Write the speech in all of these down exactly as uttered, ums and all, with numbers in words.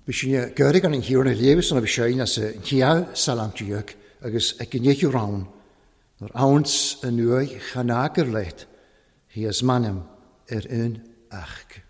Bhí geurig an hiúna léwis an a bhí séin as a chia salamtíoch agus ag gnéú rán, nuair áns an nuaigh chanagar leat, hí as manam ar un ach.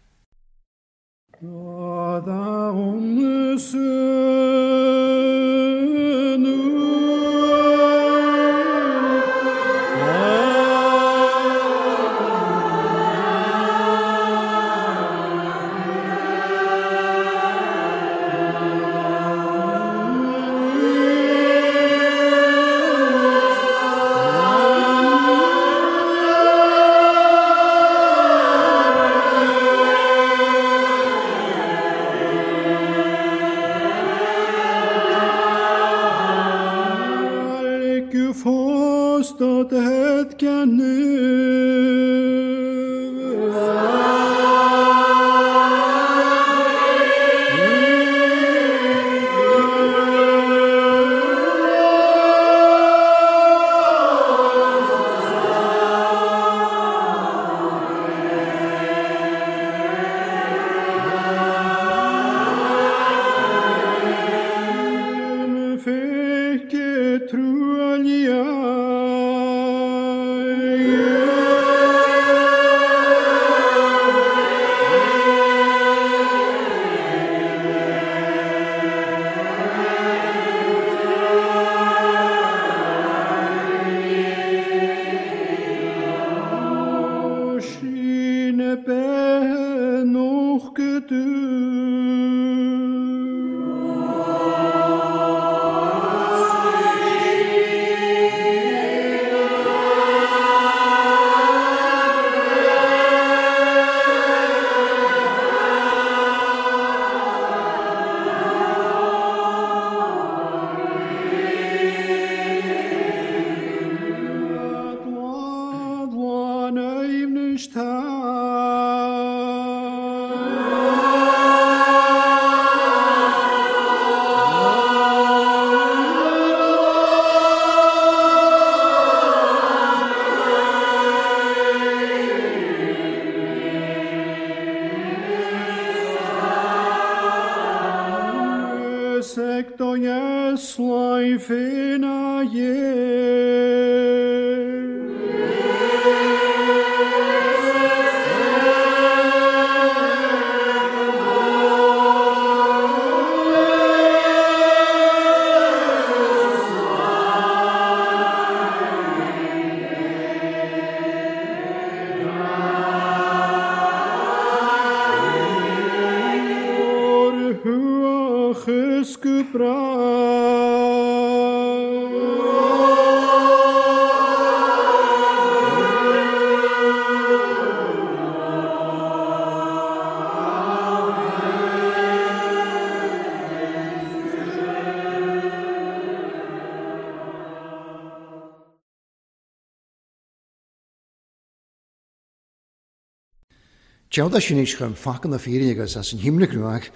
Teada sin éis chum facan na fírinne agus as an himne gruach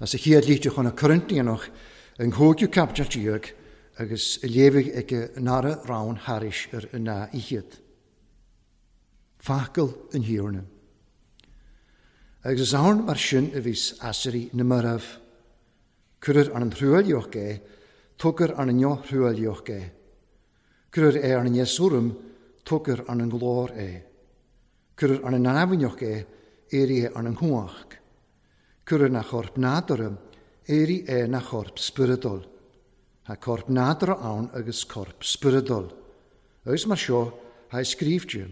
as a chéad líte chun na Corintianach an thógiú capitatíoch agus a léifidh ag nara rán tharis ar an na ichiad. Facal an hiúrna. Agus is ann mar sin a bhís asairí na marbh. Cuireadh an an thruailleoch é, tugar an an neothruailleoch é. Cuireadh é an an neasúram, tugar an an glór é. Cuireadh an an námhainneoch é, éirí é an an chuach. Cuireadh na chorp nádúrtha, éirí é na chorp spioradúil. Tá corp nádúrtha ann agus corp spioradúil. Agus mar seo, tá scríbhte,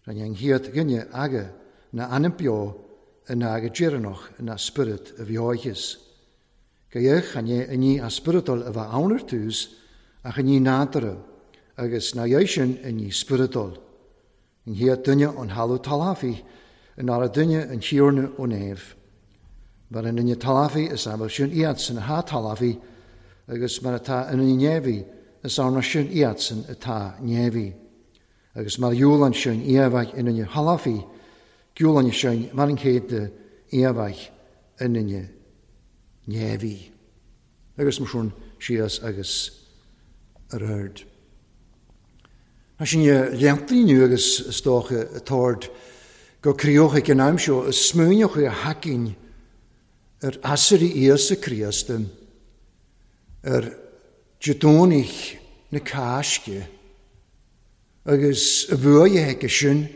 rinne an chéad dhuine aga na ainm beo in aga deireanach na spiorad a bheoicheas. Go chan é inní a spioradúil a bheith ann ar tús ach inní nádúrtha, agus na dhéis sin inní spioradúil. An chéad duine an thalamh talafaí in ara duine an tíorna ó néamh. Mar an duine talafaí is amhail sin iadsan atá talafaí, agus mar atá an duine néamhaí is arna sin iadsan atá néamhaí. Agus mar dhiúlann sin iamhaigh in duine thalafaí, giúlann sin mar an chéad de iamhaigh in duine néamhaí. Agus mar sin síos agus ar aird. Tá sin léantaí inniu agus is dócha tord go críochaigh an aimseo is smúineochaigh a haicín Ar aiséirí Íosa Críost, ar Dé Domhnaigh na Cásca, agus a bhuaidhe aige sin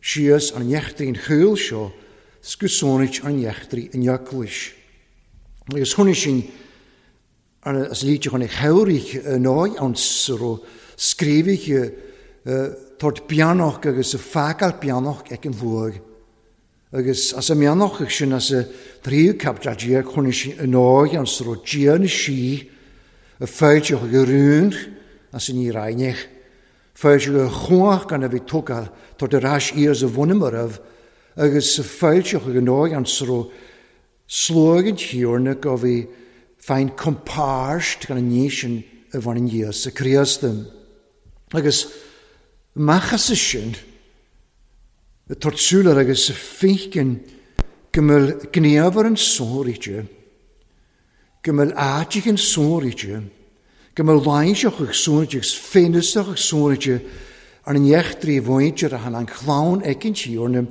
síos an eachtraí an chúil seo 's go sónait an eachtraí an eaglais. Agus chonaic sin as líte chun chabhraigh an áit ann sa raibh scríobhaithe tabhairt beannach agus a fágáil beannach ag an bhuaidh. Agus as a mbeannach sin as a tríú caibidil déag chonaic sin an áit ann sa raibh Dia na Sí a fáilteach go rún as an Íráineach. Fáilteach go chumhach gan a bhí tógáil tabhairt ar ais iar sa bhunamaraibh agus a fáilteach go áit ann sa raibh slóg an Tiarna go bhí féin compáirt gan an ní sin a bhaineann Íosa Críost. Agus amach as sin, y tabhairt súil air agus féiceann go mbeadh gníomhar an sóiríte, go mbeadh áiteach an sóiríte, go mbeadh lainseach ag sóiríte agus féinúsach ag sóiríte ar an eachtraí mhuintir a than an chlann ag an Tiarna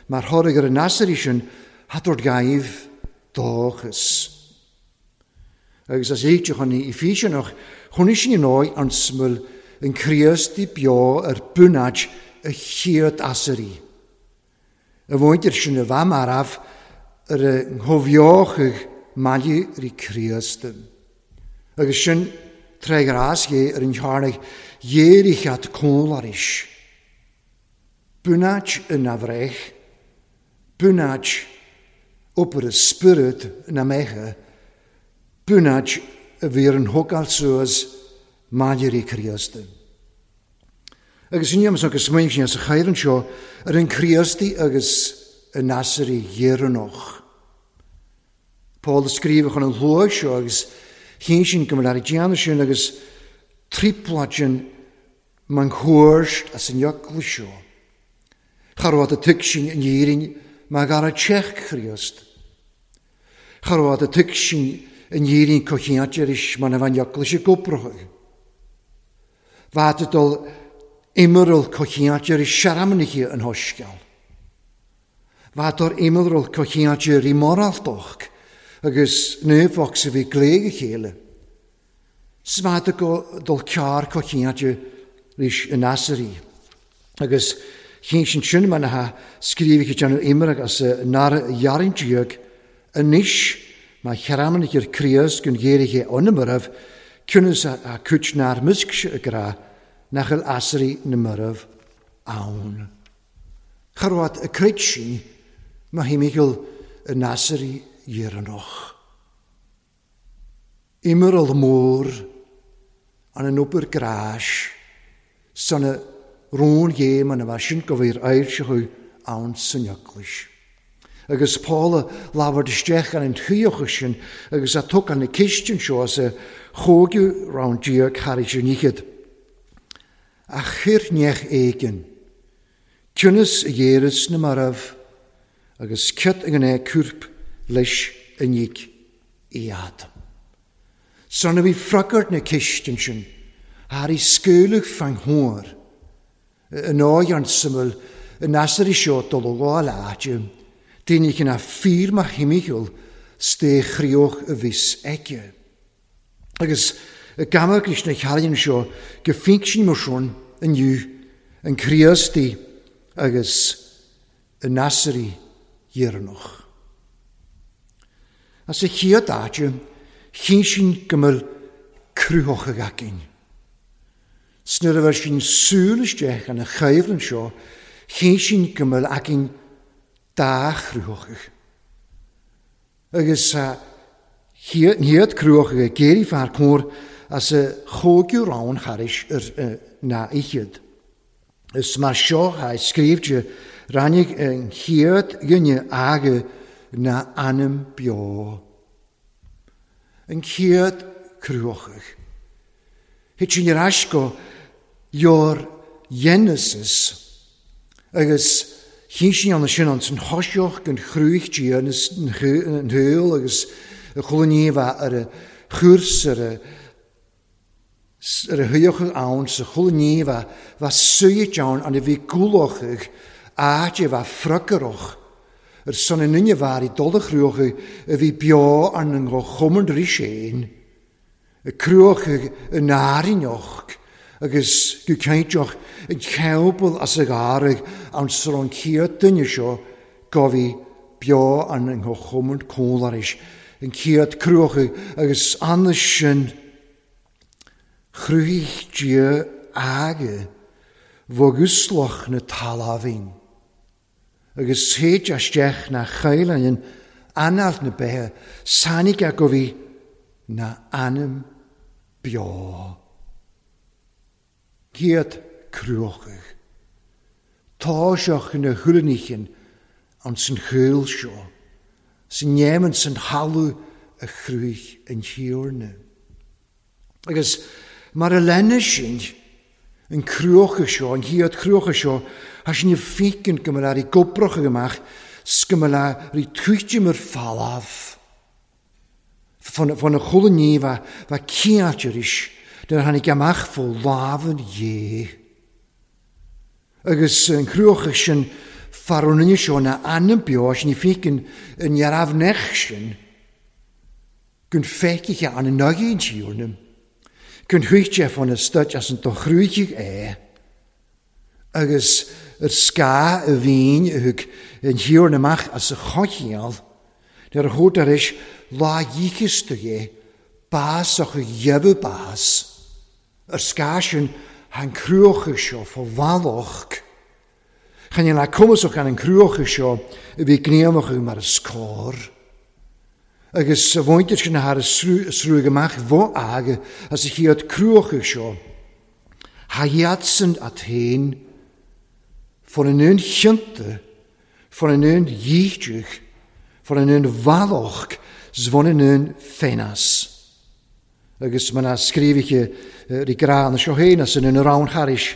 mar thoradh ar an aiséirí sin thabhairt gaibh dóchas. Agus as éiteach chun í físeanach, chonaic sin an áit an smuil an Críost i beo ar bunáid a chéad aiséirí. A mhuintir sin a bheith marbh ar a gcomhbheochadh maille rí Críost. Agus sin tré ghrás dhé ar an chearnaigh dhéireach cónlaris. Bunáid ina bhreith, bunáid obair y spiorad na meithe, bunáid a bhí ar an thógáil suas maille rí Críost. Agus inniu agus smaoineamh sin as a chaireann seo ar an Críostaí agus an aiséirí dheireanach. Paul a scríobh chun an luath seo agus chinn sin go mbeadh ar déanamh sin agus trioblóid sin man chuairt as an eaglais seo. Cha raibh a tuig sin in Éirinn mar gar a teach Chríost. Cha raibh a tuig sin in Éirinn cocheant aris mar a bhain eaglais i gcópracha. Bheadh dul immearl cocheant aris searamnaithe an hoisceal. Bheadh immearl cocheant ar i moráltoch agus naomhach sa bhí gléig a chéile. Smad go dul cear cocheant ris in aiséirí. Agus chinn sin sin mar na scríobhaithe déanamh imreach as nara dhearn déag anois má chearamnaigh ar Críost gon ghéirithe ionamaraibh ciúnas a cuid nár musc a grá nach bhfuil aiséirí na marbh ann. Cha raibh a cuid sin má himigheal an aiséirí dheireanach. Immearl mór an an obair gráis san a rón ghéim an a bheith sin go bhí ar ailseachú ann san eaglais. Agus Paul a labhairt isteach an an chuíocha sin agus a thug an na cistin seo as a chógiú rann déag thar an ichead. A chuir neach éigin, ciúnas a dhéaras na marbh agus ciot ag an é cúrp leis an níc iad. San a bhí fragart na cistin sin, thar i scaoileadh fan thóir, an áit an suimil an aiséirí seo dul ó gháil áite, daoine cinn a fíor mar himigheal sté chríoch a bhís aici. Agus y gamach leis na chearraíonn seo go fínc sin mar sin inniu an Críostaí agus an aiséirí dheireanach. As a chéad áite, chinn sin go mbeadh cruthach againn. Snuair a bheith sin súil isteach an a chaimhleann seo, chinn sin go mbeadh againn dá chruthach. Agus a chéad cruthach a géirí fear cóir as a chógiú rán charis ar na ichead. Is mar seo a scríobhte rannig an chéad dhuine aga na ainm beo. An chéad cruthach. Thit sin ar ais go leor Genesis agus chinn sin an sin an san thoiseach an chrúich Dia an thuil agus a chulainn bheith ar a chúrs ar a ar a thuíoch ann sa chulainn bheith bheith suíte ann an a bhí gúlachach áit a bheith friocarach Ar son an duine bhear i dul a chruacha a bhí beo arna ngó-chumand arís féin, a cruacha an áirineach agus go cinnteach an cheapall as a gcarraig ann sar an chéad duine seo go bhí beo arna ngó-chumand cónlaris, an chéad cruacha agus anna sin chruthaigh Dia aige bhogúslach na talamhain. Agus théid isteach na chailleann anáil na beithe, sáinnigh go bhí na anam beo. Céad cruachach. Tá seach na thuirníchin an san chúil seo, san néman san thalamh a chruthaigh an Tiarna. Agus mar a lena sin, an cruacha seo, an chéad cruacha seo, thá sin fícin go mbeadh rí gobrach amach, 's go mbeadh rí tuitim ar falamh. Fan na chuile ní bheith bheith ciáit arís, nuair a tháinig amach fó lámh an Dhé. Agus an cruacha sin far ón duine seo na anam beo, sin fícin an neamhnech sin, gun feicthe an an an Tiarna, gun thuigte fan na stoit as an do chruthaigh é, agus ar scáth a bhín a thug an Tiarna amach as a choicheall, nuair a thabhairt arís lá dhícheasta é, bás ach a dheimhiú bás, ar scáth sin han cruacha seo fá bhallach. Chan le cumasach an an cruacha seo a bhí gníomach mar a scór. Agus a bhaintear sin thar a srúg amach bho aige as a chéad cruacha seo. Ha iadsan at féin fan an un chionta, fan an un dhíteach, fan an un bhallach, 's bhun an un fénas. Agus mar a scríobhaithe rí grá na seo féin as an un rán charis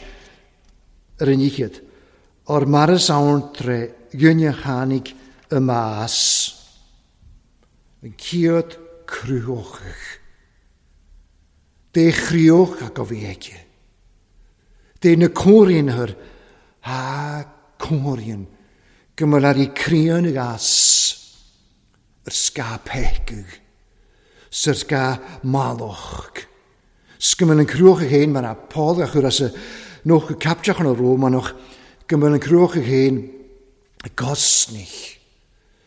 ar an ichead. Or mar is ann tre dhuine tháinig y mas. An chéad cruthóchach. Dé chríoch a go bhí aici. Dé na cóiríonthar ha cóiríon go mbeadh rí críon as ar scáth peicadh, 's ar scáth malach. 'S go mbeadh an cruacha féin mar a Paul a chur as a noch go capteach an Rómanach, go mbeadh an cruacha féin gosnich,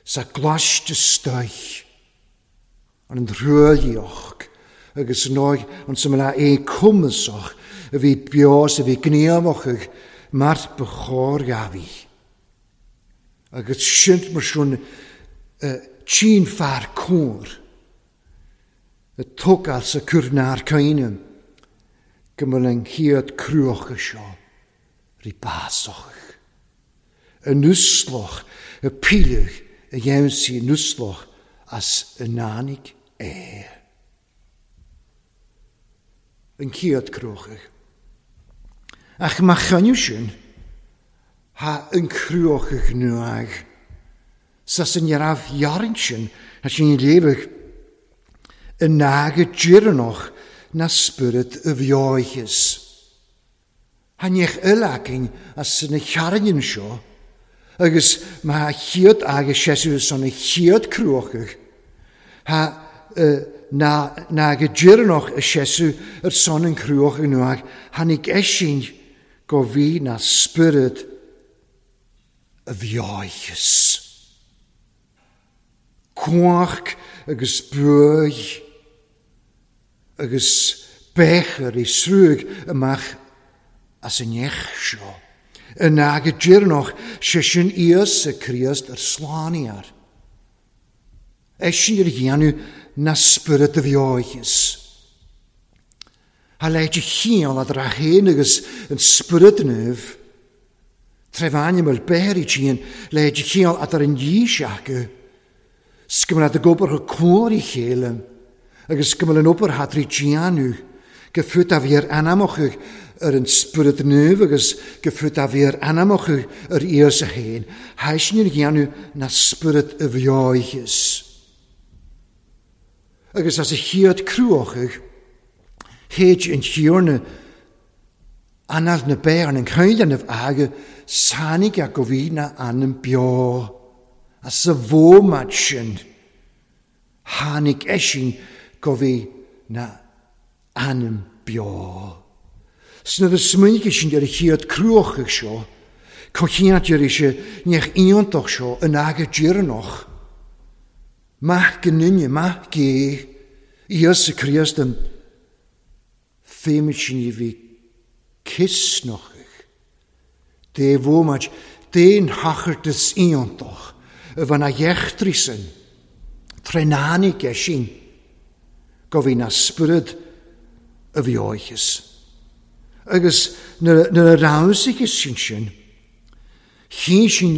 sa glaiste stoich, an an rúilíoch, agus nóig an sa mbeadh é cumasach a bhí beos a bhí gníomach mar ba chóir ghabhí. Agus sint mar sin tsin fear cóir a tógáil sa cúrnár caoine go bhfuil an chéad cruacha seo rí básach. An uslach, a píleach a dhéanann sí an uslach as a náinig é. An chéad cruacha. Ach má chainniú sin, ha an cruacha nuag. Sa san raibh jarin sin, ha sin léamh an naga deireanach na spiorad a bheoicheas. Ha níoch uileacain as na chearrainn seo, agus má chéad agus seisiú san na chéad cruachach, ha na naga deireanach a seisiú ar son an cruach nuag, tháinig eisin go bhí na spiorad a bheoicheas. Cuach agus buaidh agus bechar i srúg amach as an nech seo. Yn ag y deireanach sé sin Íosa Críost ar slániar. Eisin ar dhéanamh na spiorad a bheoicheas. Ha leid y chiall ad ra héin agus an spiorad naomh. Trefáin el beir i tían leid y chiall ad ar an dhís acu. 's go mbeadh a gobar go cóir i chéile, agus go mbeadh an obair thar í déanamh, go fút a bhí ar anamach ar an spiorad naomh agus go fút a bhí ar anamach ar Íosa féin, thaisnin ar dhéanamh na spiorad a bheoicheas. Agus as a chéad cruachach, théid an Tiarna anáil na beith an chailleanamh aige, sáinnigh a go bhí na anam beo. As sa bhómat sin tháinig eisean go bhí na anam beo. Sna a smaoinigh sin ar a chéad cruachadh seo, cochiant ar sé neach iontach seo in aga deireanach. Maith go nduine, maith gé, Íosa Críost an féimid sin i bhí cisnochach. Dé bhómat, déan hachartas iontach a bhean a dhechtrí sin, trenánig é sin, go bhí na spiorad a bhí óicheas. Agus nuair a ramhsaigh sin sin, chinn sin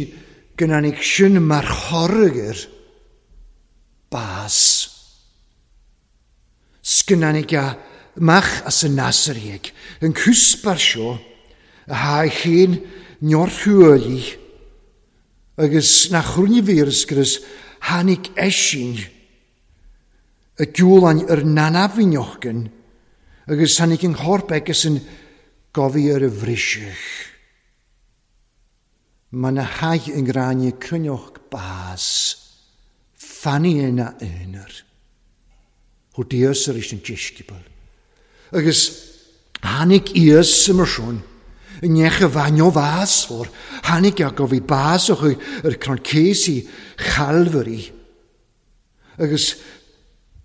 go n-tháinig sin mar thoradh ar bás. Sgynnanig a mach as y Nasarieg, yn cwsbar seo, a ha chéin niorthúili, agus na chrwni fyrus grys hanig eisyn, y diwlan yr nanafinochgyn, agus hanig yn chorp agus yn gofi ar y frisych. Mae na hag yn granu crynioch bas, fanni yna ynyr. Hw dios yr eisiau disgybl. Agus hanig ias ym swn, yn eich y fanio fas for, hanig a gofi bas o'ch yr cronces i Chalfari. Agus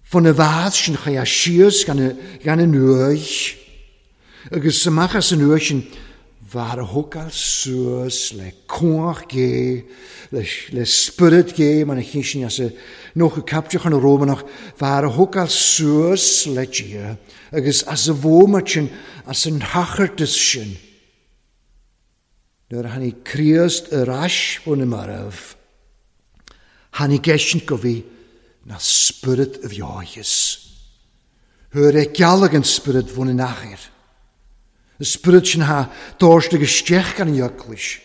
fan y fas sy'n chai a sias gan y, gan y nwy. Agus ymach as y nwy sy'n var a thógáil suas le cumhach gé, le, le spiorad gé, mar a chinn sin as y nócha capteach an Rómanach, var a thógáil suas le Dia, agus as y bhómat sin, as an hachartas sin. Nuair a tháinig Críost ar ais ón y marbh, tháinig eisean go bhí na spiorad a bheoicheas. Thuair é gealach an spiorad bhun an achair. Y spiorad sin ha dóirst agus isteach gan an eaglais.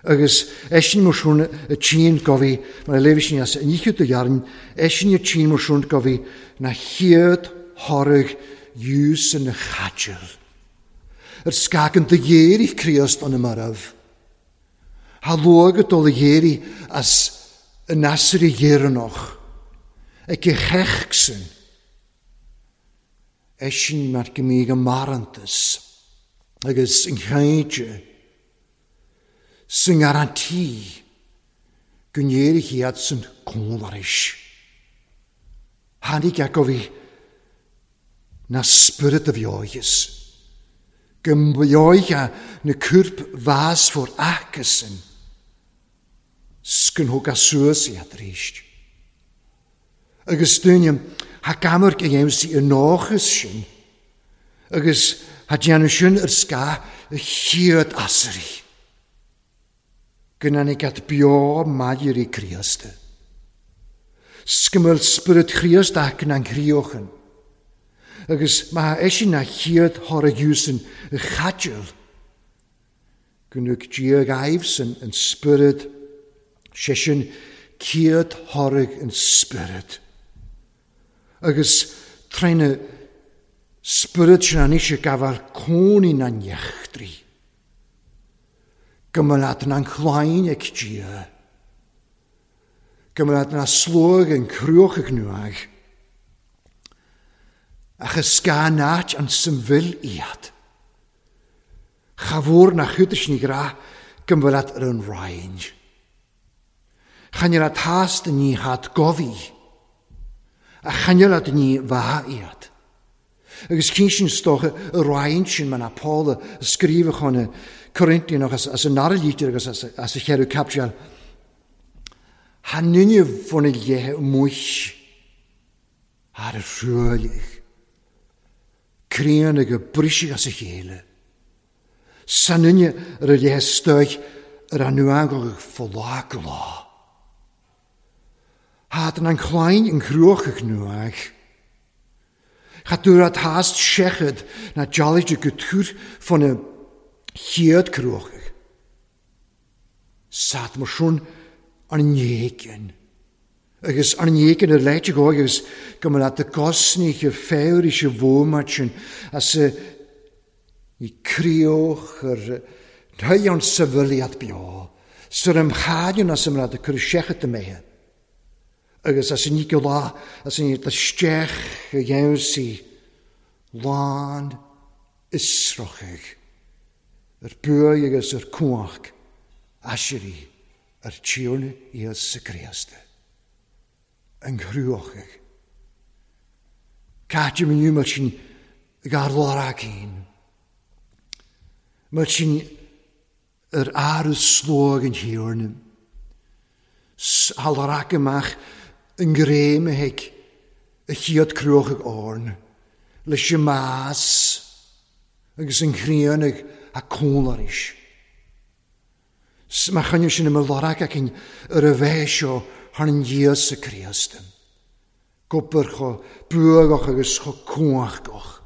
Agus eisean mar sin y tîn gofi, mar a léifidh sin as an ichid do dhearn, eisean y tîn mar sin gofi na chéad thoradh dhiús yn y chadil. Yr sgagan dy ghéirí Críost an y marbh. Ha luag y dol y ghéirí as y nasr i ghéireanach. Ag y chechsyn. Eisean mar gymig y marantas. Agus yn chainte sy'n garantí go n-éirigh iad san cónlaris. Tháinig acu na spiorad a bheoicheas. Go mbeoiche na cúrp bhás for acasan. Scan thóg a suas iad ríst. Agus duine ha gamarc a dhéanamh i nóchas sin. Agus ha déanamh sin ar scath y chéad asairí. Go n-tháinig at beo maidir i Críosta. Sgymyl spiorad Chríost ac yn anghriochyn. Agus mae eisean na chéad thoradh dhiúsan y chadil. Gwnwg Dia gaifsyn yn spiorad, seisean chéad thoradh yn spiorad. Agus tréna spiorad sin an eisiau gafal cónaí na nechtrí. Gymryd na'n chlain ag Dia. Gymryd na slwg yn crwch ag nŵag. Ach ysga nat an symfil iad. Chafwr na chwydys ni gra gymryd yr yn rhain. Chanio'r hast ni had gofi. A chanio'r ni fa iad. Agus cyn sin stoch y rhain sin mae na Paul y sgrifach hwn y Corinthian as, as y narlítir agus as, as y cheirw capsial. Ha nynnu fwn y lle mwys ar y rhwylig. Críon ag y brisig as y chéile. Sa nynnu ar y lle stoich yr anwagog ffolag lá. Had yn an chlain yn chrwch ag nŵag. Cha dŵr at hast sechad na jalid y gytŵr ffon y chéad cruachach. Sad mar sin an néigean. Agus an néigean ar leite go agus go mbeadh leat y gosnich y ffewr eisiau fwmat sin as y i crioch yr rhai o'n sefyliad bio. Sar am chaidin as am rad a cur seachat a méithe. Agus as an níce lá, as an níce isteach a dhéanamh lán isrochaigh ar buaidh agus ar cuach aisirí ar Tiarna Íosa Críost. An chruachaigh. Caite inniu mar sin gar lár cinn. Mar sin ar aras slóg an Thiarna. Hal amach an gréim a hic a chiad cruachaigh orn. Leis an más agus an chríonach a cólaris. Má choinne sin i lorg cinn ar a bheith seo thar an Íosa Críost. Gobar cho buagach agus cho cuachgach.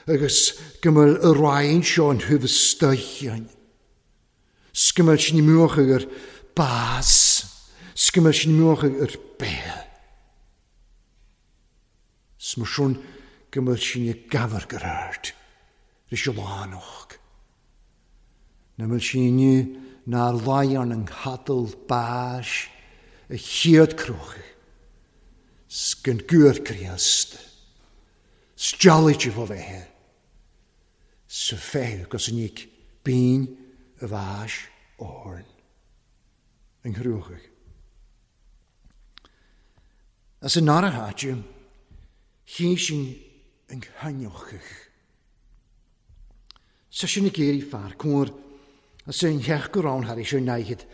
Agus go bhfuil a roinn seo an thubh stoichean. 'S go bhfuil sin muach ar bás. 'S go bhfuil sin muach ar béal. 'S mar sin go bhfuil sin i gabhar gur ard. Ris y lánach. Na bhfuil sin inniu nár láidhean an chadal báis a chiad cruachaigh. 'S gan gúr Críost. 'S dealaigh fá bheithe. Sa féith agus an níc bín a bháis orn. An chruachaigh. As an nara háite, chí sin an chainneochaigh. Sa sin na géirí fear cóir as an theach go rán thar éis ar naichead.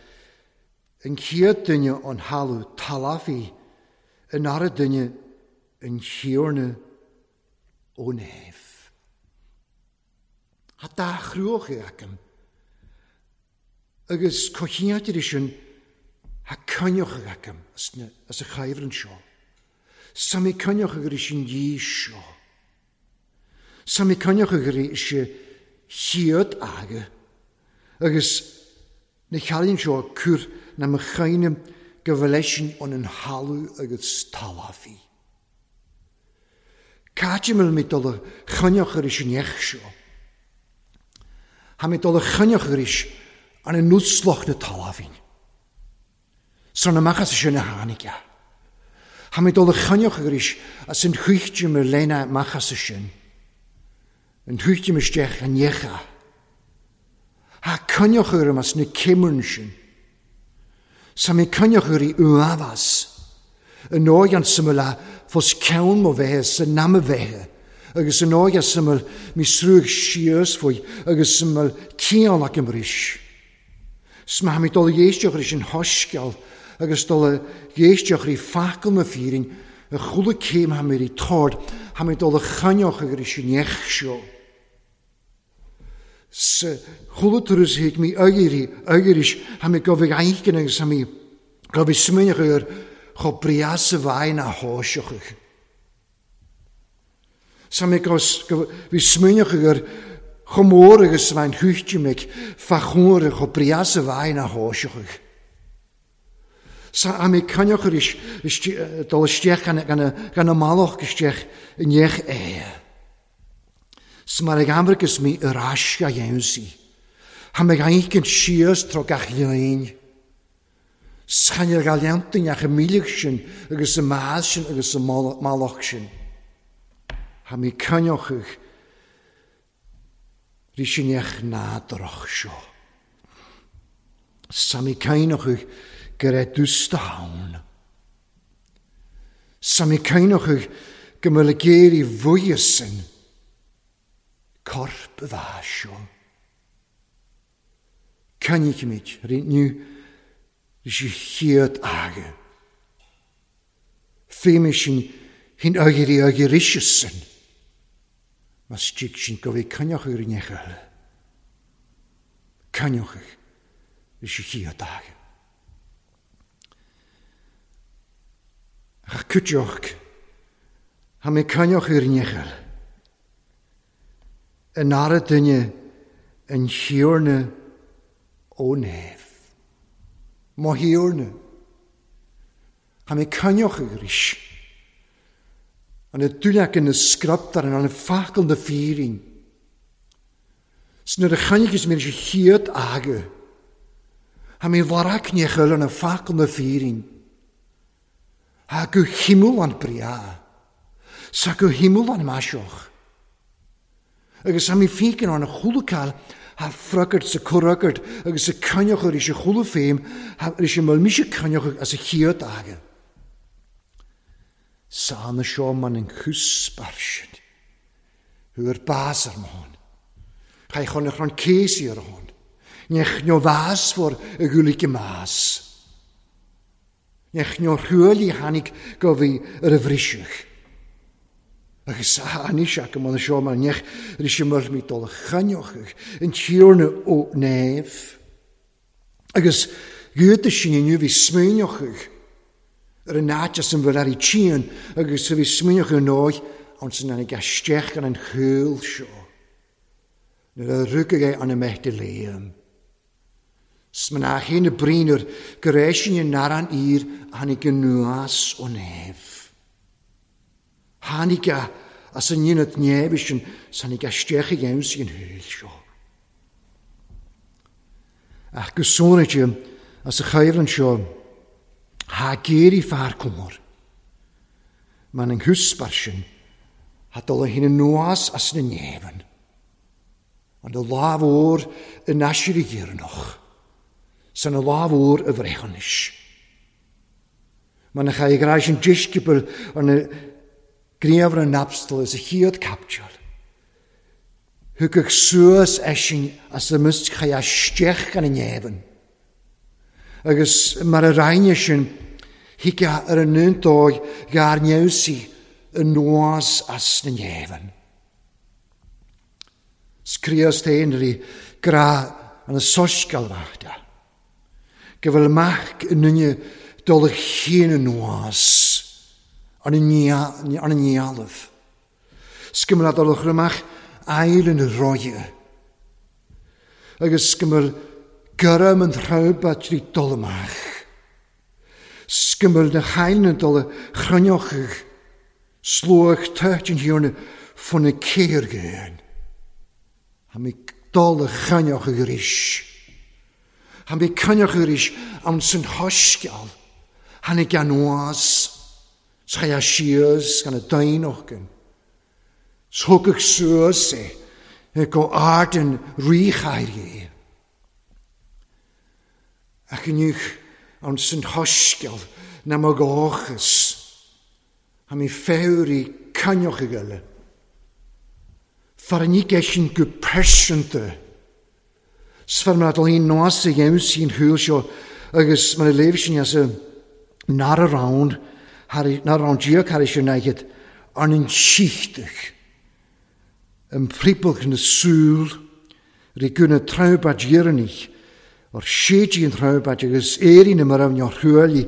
An chéad duine an thalamh talafaí, an ara duine an Thiarna ó neamh. Ha dá chruachaigh agam. Agus cochiatir sin ha coinneochaigh agam as, na, as a chaimhreann seo. Sa mé coinneochaigh ar sin dhí seo. Sa mé coinneochaigh ar sin chiad aga. Agus na chealaíonn seo cur na mo chaine go bhfuil an an thalamh agus talafaí. Caite mil mé dul a choinneoch ar an neach seo. Ha mé dul a choinneoch ar an an nuslach na talafín. Sar na machas sin a tháinig e. Ha mé dul a choinneoch ar as an chuichte mar lena machas sin. An chuichte isteach an necha. Ha coinneoch ar as na cimurn sin. Sa mé coinneoch ar i uafas. An nóig an syml a fos ceann mo bheithe sa nam a bheithe. Agus an nóig an syml mi srúg síos faoi agus syml cian ac ymrys. Sma mi dul dhéisteach ar sin hosceal agus dul dhéisteach ar i facal na fírin a chula céim ha mé i tord ha mé dul a choinneoch ar sin neach seo. Sa chula turas hic mi agiri agiris ha mé gofig aichen agus ha mé gofig smuineach ar cho brias a bhain a háiseachach. Sa mé gos bhí smuineach ar cho mór agus bhain chuichte meic fa chóir cho brias a bhain a háiseachach. Sa a mé coinneoch ar is dul isteach gan a malach isteach i neach é. 'S mar ag amharcas mé ar ais a dhéanamh. Ha mé aichen síos tro gach lein. 'S chan ar gailleantain ach a míleach sin agus a más sin agus a malach sin. Ha mé coinneochaigh rí sin each nádurach seo. Sa mé coinneochaigh go raibh dústa ann. Sa mé coinneochaigh go mbeadh géirí bhuíochas sin. Corp a bheith seo. Coinneochaimid rí inniu rí sé chéad aga. Féimid sin hín agirí agiríse sin. Mas stig sin go bhí coinneochaigh ar an neach eile. Coinneochaigh rí sé chéad aga. Ach cuiteoch ha mé coinneochaigh ar an neach eile. An ara duine an Thiarna ó neamh. Mo Thiarna. Ha mé coinneochaigh arís. An y dúlac yn y sgrabdar an y ffacal na fírin. 'S nuair a choinnigh mé sé chiad aga. Ha mi larac nechel an a facal na fírin. Ha go himul an bria. Sa go himul an maisioch. Agus ha mi fícin an a chulacal ha fragart sa curagart agus sa cynioch ar eisiau chwla ffeim ha ar eisiau myl misio cynioch as y chiad aga. Sa na sio man yn chwsbarsiad. Hwyr bas ar mohon. Chai chon eich rhan ceisi ar hon. Nech nio fas for y gwlig y mas. Nech nio rhwyl i hanig gofi yr yfrisiwch. Agus anis ac ymwneud y sio man nech yr eisiau myl mi dol chynioch yn tiwrna o nef. Agus gyda sy'n inw fi smynioch yr yn as yn fel ar ei tîn agus fi smynioch yn oed ond sy'n anig astech gan yn chwyl sio. Nyr y rwgag ei an y mehdi leim. Smynach hyn y brin yr gyreisi'n yn naran ir hanig yn nwas o nef. Hanig a as yn un at nef isyn sanig astech i iawn sy'n hwyl sio. Ach gysôn ydy as y chyfryn sio ha geir i ffar cwmor. Mae'n yng nghwsbarsyn ha dola hyn yn nwas as yn y nefyn. Ond y laf o'r yn asir i gyrnoch. Sa'n y laf o'r y frechonish. Mae'n eich ei graes yn disgybl ond y griafr yn abstol as y chiod captiol. Hwgach suas eisiau as y mysg chai a stech gan y nefyn. Agus mae'r arain eisiau higa ar y nyn doi gar newsi y nwas as y nefyn. Sgrios tein ri gra an y sosgal fachda. Gyfel mach yn nynnu dolych hyn y nwas an y nialaf. Sgymel a dolych rymach ail yn y roie. Agus sgymel gyrram yn rhywbeth tri dolymach. Sgymel na chael yn dole chrynioch slwch tyd yn hiwrna ffwn y ceir gyn. Ha mi dole chynioch y gris. Ha mi cynioch y gris am sy'n hosgial. Ha ni gan was. Schaia sias gan y dainoch gyn. Shwgach suas e. Go ard yn rhychair i. Ac yn uwch ond sy'n hosgial na mo gochus. Ha mi ffewr i cynioch y gyle. Far ni geisyn gw persynta. Sfar mae'n adol un nos y iawn sy'n hwyl sio agus mae'n leif sy'n as y nar y rawn, nar rawn diog har eisiau naigyd, ond yn sichtach. Yn pribwch yn y sŵl, rhi gwna trawbad iernich, o'r siedi yn trawbad agus eirin ym yr awn o'r hwyli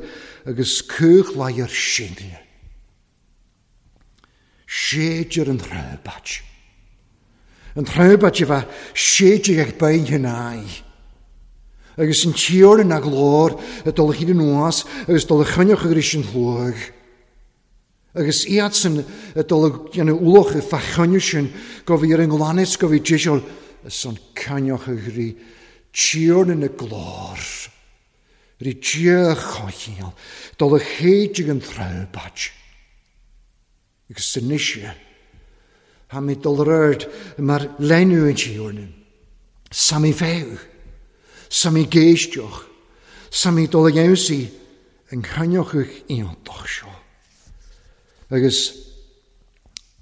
agus cwch lai yr sinio. Siedi'r yn trawbad. Yn trawbad i fa siedi ag bain hynau. Agus yn tiwr yn aglor, y dolych hyd yn oas, agus dolych chynioch ag rys yn llwg. Agus iad sy'n y dolych yn wloch y ffachynioch sy'n gofi yr ynglanus, gofi jisiol, y sy'n cynioch ag rhy tiwr yn y glor. Rhy diolch chochiol, dolych hyd yn trawbad. Agus sy'n eisiau, ha mi dolryd mae'r lenw yn tiwr yn. Sa mi few, sa mi geistioch, sa mi dolyg yn cynioch eich iontoch sio. Agus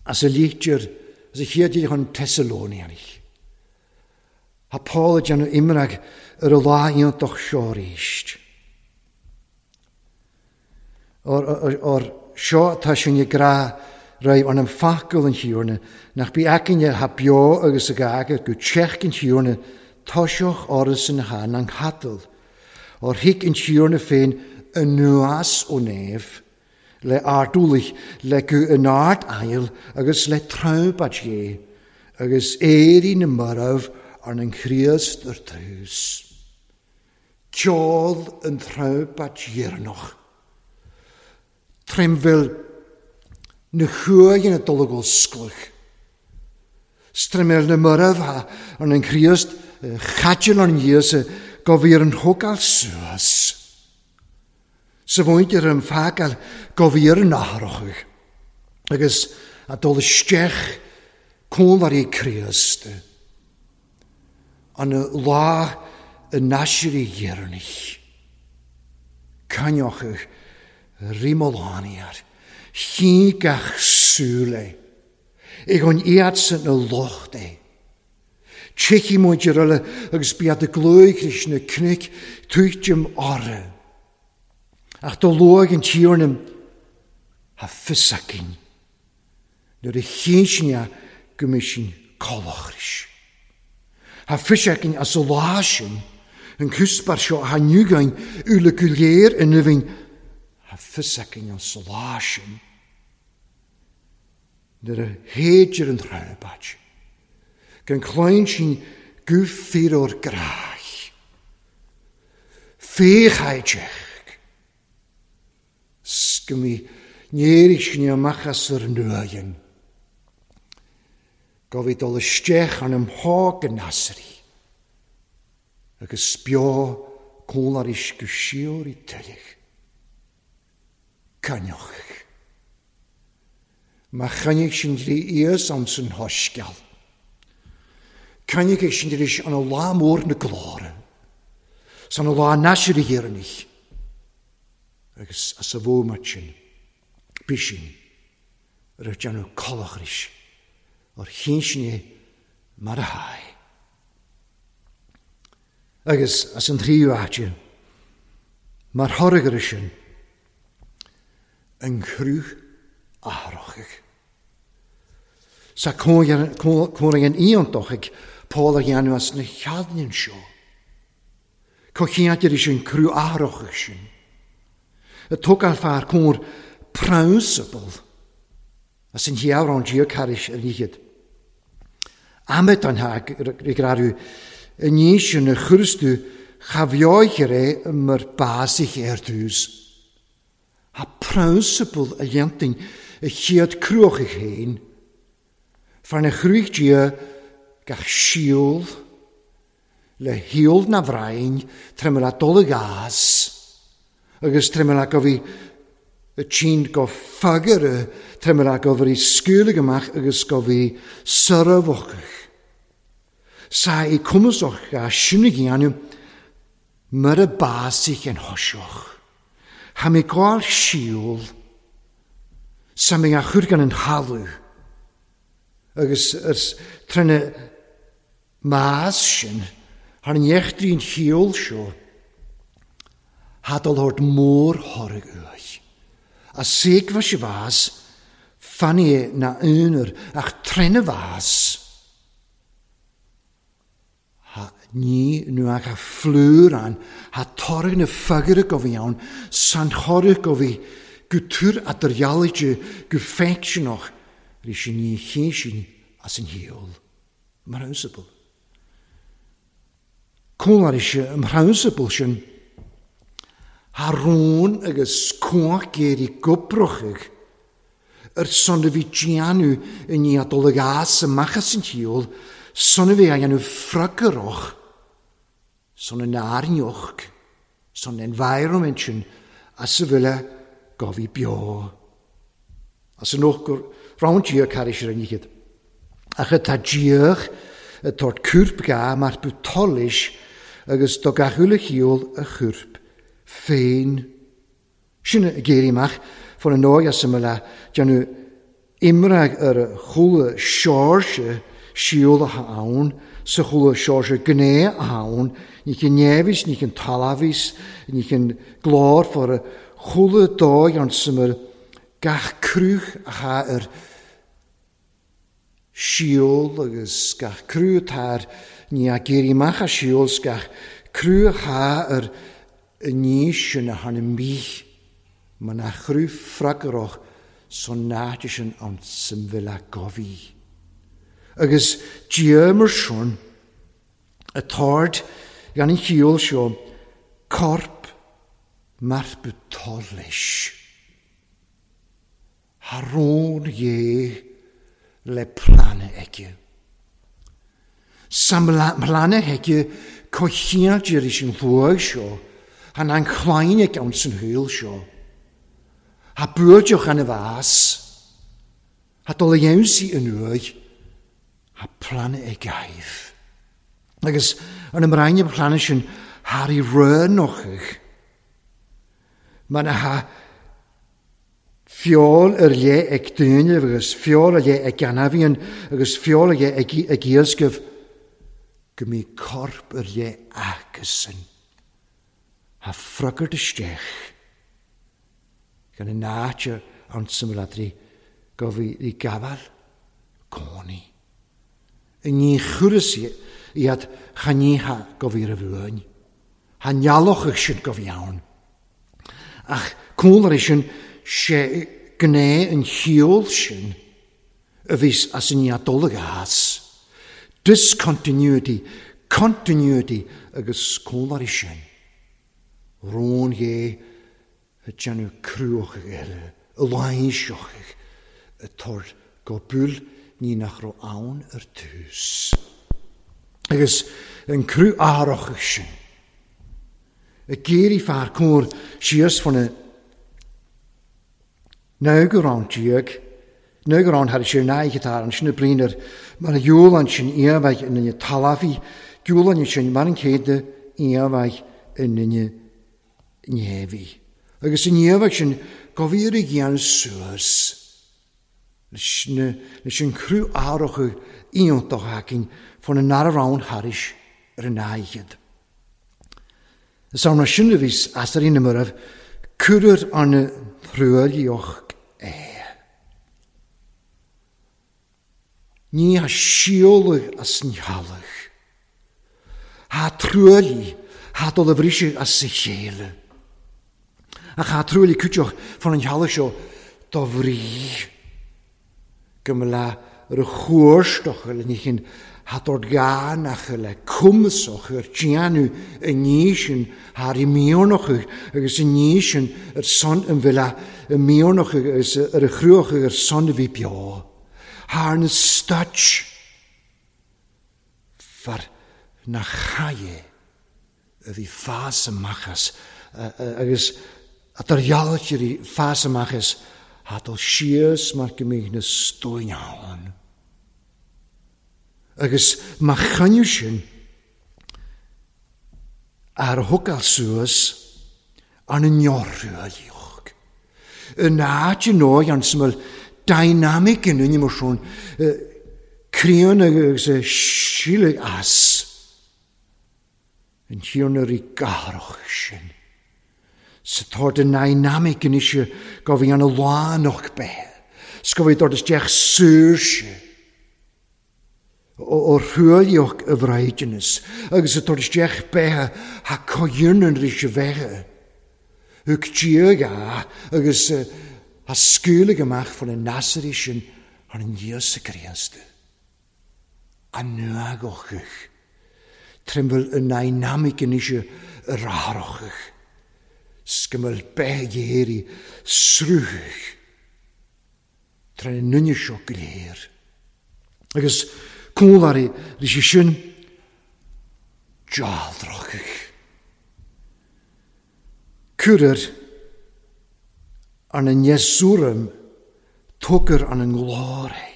as y litir, as y chiad i hwn Thessalonianich. Ha Paul y dyn imrag yr y la iontoch sio rysht. O'r, or, or sio ta sy'n i gra rai an am facel yn hiwrna, nach bi acin ha bio agus y gager go tsech yn hiwrna, tosioch orys yn han ang hadl. O'r hig yn hiwrna fein y nuas o nef, le ardwlich, le gu yn ard ail, agus le trawbad ie, agus eirin y myraf arn yn chriast yr trws. Ciol yn trawbad iernwch. Tremfil na chuaigh yn y dologol sglwch. Strymel na myraf ha an yn Christ chadil an Iesu go bhí ar an thógáil suas. Sa mhuintir an fágáil go bhí ar an athrachadh agus a dul isteach cónairí Críost an lá a n-aisirí dheireanach. Cainneochadh rímolániar, chí gach súil é, ag an iadsan na locht é. Tiocfaidh muid ar eile agus bíad a glóig leis na cnoic tuitim orthu. Ach do luaigh an Tiarna ha fios againn nuair a chinn sin é go mbeidh sin colachris. Ha fios againn as an lá sin an cusbar seo a nugain ule go léir in uibhinn ha fios againn as an lá sin nuair a théidir an trábait. Gan cloinn sin go fíor gráich. Féchaidteach. Go mí néirigh sin amach as ar nuaigin. Go bhí dul isteach an ymhá go nasrí. Agus beo cónaris go siúr i tuilleach. Cainneoch. Má chainneach sin drí ias ann san hoisceal. Cainneach sin drí an lá mór na glóire. San a lá nasrí dhéanach. Agus as a bhómat sin, bí sin, ar déanamh colachris, ar chinn sin é mar a tháid. Agus as an tríú áite, mar thoradh air sin, an chruth athrachach. Sa cónaí an iontach ag Paul a dhéanamh as na cheadnain seo. Có chiantar is an cruth athrachach sin. A tógáil fear cóir prionsabal as an heabhrán Dia caris ar níchid. Amet an ha ag rarú i ní sin a churstú cha bheoichir é mar básich ar dtús. Ha prionsabal a dhéantain a chéad cruachach féin. Far na chrúich Dia gach síol le híol na bhrain tremel a dul gas agus tremel a go bhí y tîn go fagaire tremel a go bhí sgúlig amach agus go bhí syrafwchach. Sa i cwmwsoch a sinnig i anw mar y basich yn hosioch. Ha mi gwael siwl sa mi a chwr gan yn halw. Agus ers trene maas sin, har an echtrín chiol seo, hadal hort mór thoradh uaidh. A seigfa si fas, fanny na unar, ach trene fas. Ha ní nu ach a flúr an, ha toradh na fagaire go bhí ann, san thoradh go bhí go túr a dyrjalige go feicseanach, rí sin ní chéin sin as an hiol. Mar prionsabal. Cónar is an prionsabal sin, ha rón agus cóach géirí goprochach, ar son a bhí déanú i ní a dul ag as amach as an hiol, son a bhí a dhéanamh fragarach, son an airneoch, son environment sin as a bhfuile go bhí beo. As an och gur round Dia caris ar an ichid. Ach atá Diach y tort cwrp ga mar bwtolis agus do gach ule chiol y chwrp féin. Sin y geiri mach fan an nóig as ymyla déanamh imrag ar y chwla siorse siol a hawn, sa chwla siorse gné a hawn, ní cyn nefis, ní cyn talafis, ní cyn glor ffor y chwla doi ond syml gach crwch a cha yr siol agus gach crwch tar ní a geiri mach a siol gach crwch a cha yr ní sin a han y mich. Ma na chrwch ffragroch son náid sin an symfil a gofi. Agus Dia mar sin y tord gan an chiol seo corp mar bwtolis. Ha rón ie le plane aige. Sa mhlana heige cochiadir is an luag seo, han an chlaine gan san hwyl seo. Ha buaildeoch an y fas, ha dol iawnsi yn uaig, ha plana e gaif. Agus an ymraen y plana sy'n har i rönochig. Mae'n ha fiol yr le ag dynef agus fiol yr le ag anafion agus fiol yr le ag, ag iasgyf go mi corp yr le agysyn. Ha ffrygwr ystech gan y natur an symladri gofi i gafal coni. Y ni chwrys iad chaniha gofi ryfwyn. Ha nialoch ych sy'n gofi iawn. Ach cwlr eisiau sé gné yn hiol sy'n y fys as yn iadolyg as. Discontinuity, continuity agus cwlr eisiau. Rôn ie y janw crwch eile, y lainsioch y tor gobwl ni nach ro awn yr tŵs. Agus yn crw aroch sy'n. Y geir i ffa'r cwr sias fan y nawgyrán diag, nawgyrán har si'r naig gyda'r an sin y briner, mar y iwlan sin iafag yn y talafi, giwlan sin mar yn ceda iafag yn y nefi. Agus yn iafag sin gofir i gian suas, leis yn crw aroch iontoch acin fan y narawn haris yr naigad. Is arna sin a bhís as ar ina muraf, cwrr an thrúilioch é. Ní ha siolach as an halach. Ha trúili, ha dol a bhrísig as sa chéile. Ach ha trúili cúteoch fan an halach seo do bhrí. Go la ar a chuairstoch le ní chin ha dord gánach le cwmsoch yr tianw y nísin har i mionoch agus y nísin yr son yn fila y mionoch agus yr chrwch yr son fi bio. Har na stutch far na chaie y fi ffas ymachas agus a dar i ffas ymachas ha dol sias mar gymig na stwy'n iawn. Agus ma chynnu sin ar hwgal suas an yn iorwylioch. Y na ti'n oi an syml dynamic yn un emosiwn crion agus y silig as yn hion yr i garoch sin. Sa tord y dynamic yn eisiau gofi an y lanoch be. Sgofi dod ys diach sŵr o'r rhwylioch y fraidinas, agus y dod ysdiach beha ha coywn yn rhys y fecha. Hwg diag a, agus ha sgwylig ymach fan y nasr eisiau ar yn Iesu Grist. A nwagoch ych. Trymfel y dynamic yn eisiau yr aroch ych. Sgymel beha srwch. Tren yn nynysio glir. Agus cwlari rhys i sin jaldroch. Cwrr an yn Ieswrym twgr an yn glore.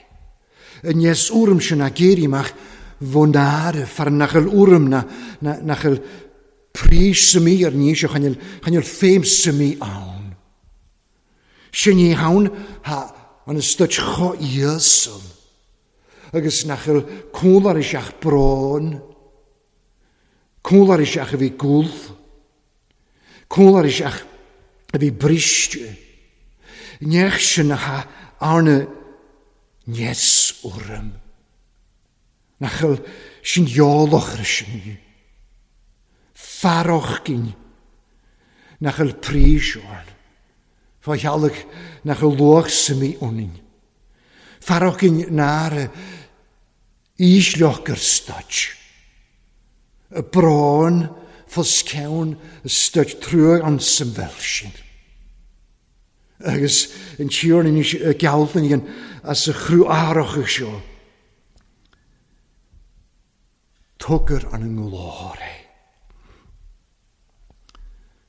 Yn Ieswrym sy'n ageri mach fonare far nachel wrym na, na nachel pris symi ar ni eisiau chanel, chanel ffeim symi awn. Sy'n ni hawn ha an ystod cho iesol. Agus nachel cwlar eisiach bron, cwlar eisiach y fi gwll, cwlar eisiach y fi bristio. Nech sy'n ha arna nes wrym. Nachel sy'n ioloch rysyn. Faroch gyn. Nachel pris oan. Fa hialig nachel loch symi onin. Faroch gyn nar ísleoch gur stutch. Y brón fos cewn y stutch trwy an symfelsin. Agus yn tiwr yn y gawlyn yn as y chrw aroch ych sio. Tugar an nglór é.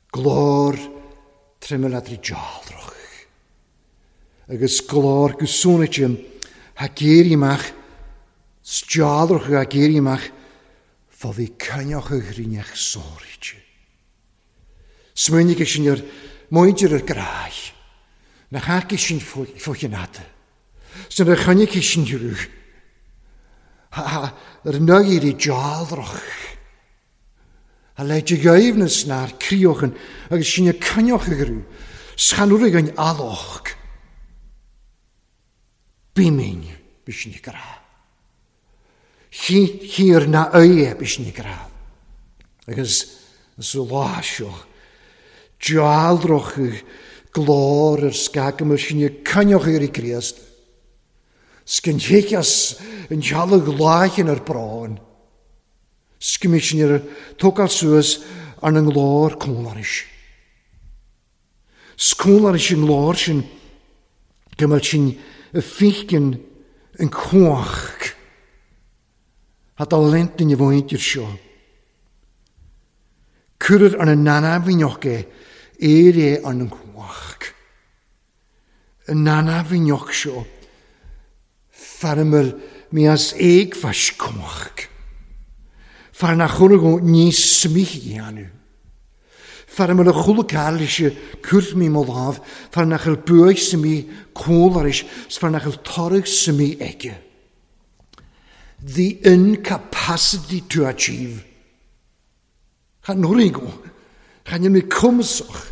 Glór tremel dealroch. Agus glór gusúnite ha géirímach, dealroch ha géirímach, fá bhí cainneach a ghrinneach sóirite. Smaoinigh sin ar muintir ar gráich, nach haca sin fochinata. Sin ar choinnigh sin rúch. Ar nugir i dealroch. A leid y gaifnas na'r criochan agus sin y cynioch y grw. Schanwrig yn aloch. Bimyn bys ni gra. Hir na oie bys ni gra. Agus ys y lasio. Dealroch y glor yr sgag yma sin y cynioch i'r i Grist. Sgyn higas yn sialag laich yn yr bron. Sgymys ni'r tógáil suas ar na nglór cólaris. Scólaris yn nglór sin go mbeadh sin y fícin yn cuach. Hat a lent yn y fwynt i'r seo. Cuireadh ar na nanamhíneach é, éir é ar na cuach. Y nanamhíneach seo, fearmar mi as éagfais cuach. Fear nach chonradh níos smíche dhéanamh. Fear mar a chuala cairlise cuairt mí mo lámh, fear nach bhfuil buaidh sa mí cólaris, fear nach bhfuil toradh sa mí aige. The incapacity to achieve. Chan norigo, chan mi cumasach.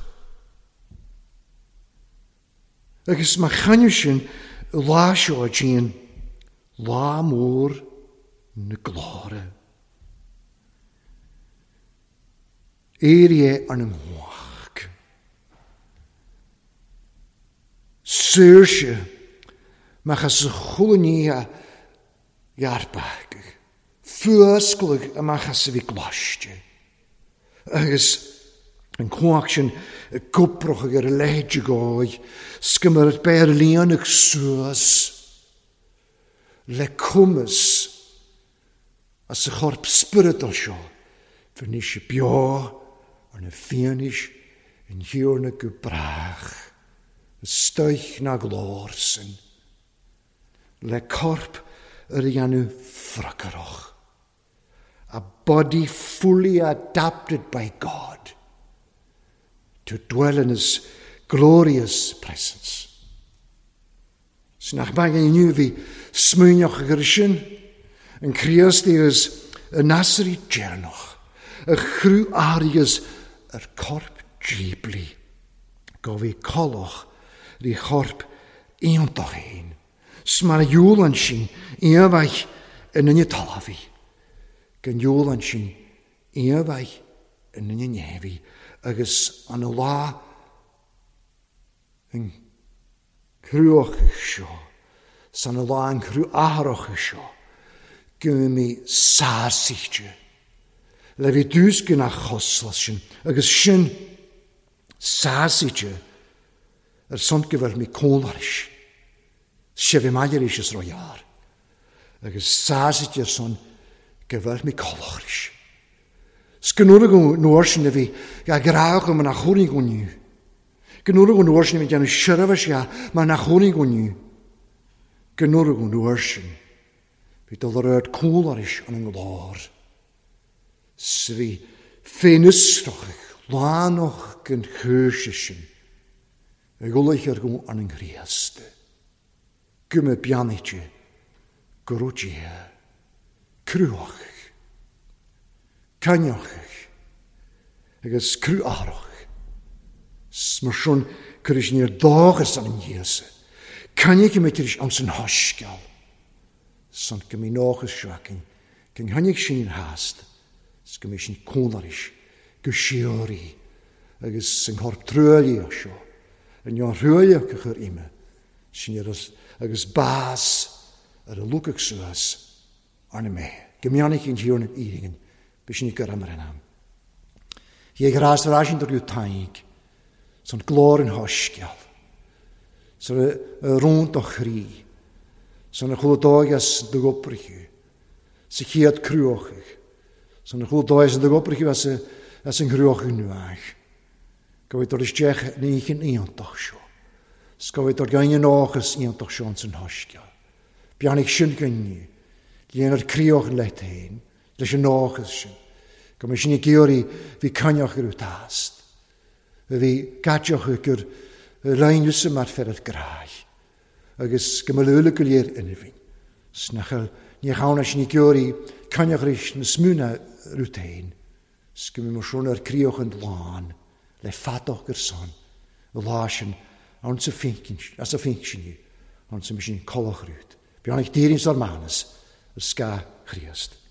Agus má chanú sin lá seo a lá mór na glóire. Éirí ar na mhuach. Saoirse mach as a chulaní a ghearrbaigh. Fuasclaigh amach as a bhí gláiste. Agus an cuach sin y gwbroch ag ar y leid y goi, sgymar at beir líonach suas, le cumas as y chorp spiritual seo, fyr níos beo ar na fianis yn hiwrna go brach, y stoich na glór sin, le corp yr ianw ffracaroch. A body fully adapted by God to dwell in his glorious presence. Sin nach maith inniu bhí smaoineach gur sin, an Críost agus y Nasri deireanach, y chrú árias yr corp díblí, go bhí coloch rí chorp iontach ein. Smar iúlan sin iomhaith yn yn y talafi. Gan iúlan sin iomhaith yn yn y nefi. Agus an y lá yn crwch seo, san y lá yn crw athroch seo, gymryd mi sársíte. Le bhí dús gyn achoslas sin, agus sin sársíte ar son gyfer mi cólaris. Se bhí maidir is roiar. Agus sársíte ar son gyfer mi cólaris. Sgynwr go nóir sin a bhí ga grách am nach chónaí go niu. Gynwr go nóir sin a bhí déanamh seirbhís ga mar nach chónaí go niu. Gynwr go nóir sin. Bhí dul ar ard cólaris an an glór. S bhí féinusroch lánach gan chúrse sin. Ag ulich ar go an an Chríost. Gymma beannaite go rúidithe. Cruach. Cainneach. Agus cruárach. Mar sin cuir níor dóchas an Íosa. Cainneach mé tar éis am san thoscail. San go mí nóchas seo cyn tháinig sin hast. S go mí sin cónaris go sióirí agus an chorp truailíoch seo. An neon thruailíoch a chur ime. Sin agus bás ar a lucach suas arna mé. Go mbeannaigh an tíorna éireann b'é sin gur amar an am. Hé grás ar aisin gur taig, san glór an thoscail, san y rúnt o chrí, san y chula dóigeas do goprichu, sa chéad cruachach, San y chwil does yn dy gobrych as y as yng Nghruoch yn nuach. Gofyd dod isteach ní chin iontach seo. Sgofyd dod gain yn ochas iontach seo yn hosgiol. Biannig sin gynni. Líon ar crioch yn leith héin, leis an ochas sin. Go mbeidh sin ag iarraidh bhí cainneach ar tast. Bhí gaiteach gur roinneadh mar fer ar gráig. Agus go mba luaile go léir ina bhinn. Snachal ní chána sin ag iarraidh cainneach ris na smúna rút héin. 's go mbeidh mar ar crioch an lán le fadach gur son. Y lá sin ann sa finkin, as a finkin, ann sa sin colach rút. Bíonn ag dírín sár manas, yr sga Chríost.